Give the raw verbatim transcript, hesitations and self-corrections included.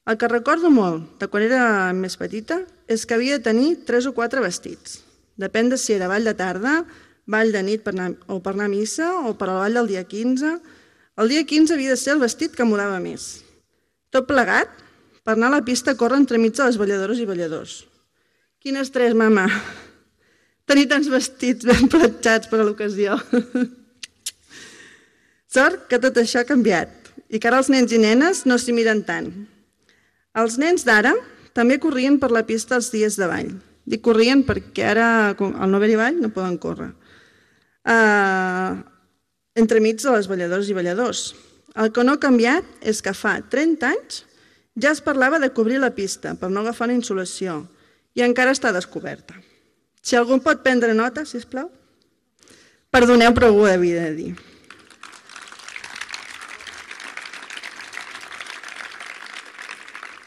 El que recordo molt de quan era més petita és que havia de tenir tres o quatre vestits. Depèn de si era ball de tarda, ball de nit per anar, o per anar a missa o per al ball del dia quinze. El dia quinze havia de ser el vestit que mudava més. Tot plegat per anar a la pista a córrer entremig de les balladores i balladors. Quin estrès, mama! Tenir tants vestits ben platjats per a l'ocasió. Sort que tot això ha canviat i que ara els nens i nenes no s'hi miren tant. Els nens d'ara també corrien per la pista els dies de ball. Dic corrien perquè ara, al no haver-hi ball, no poden córrer. Uh, entremig de les balladores i balladors. El que no ha canviat és que fa trenta anys ja es parlava de cobrir la pista per no agafar la insolació i encara està descoberta. Si algú pot prendre nota, sisplau. Perdoneu, però ho havia de dir.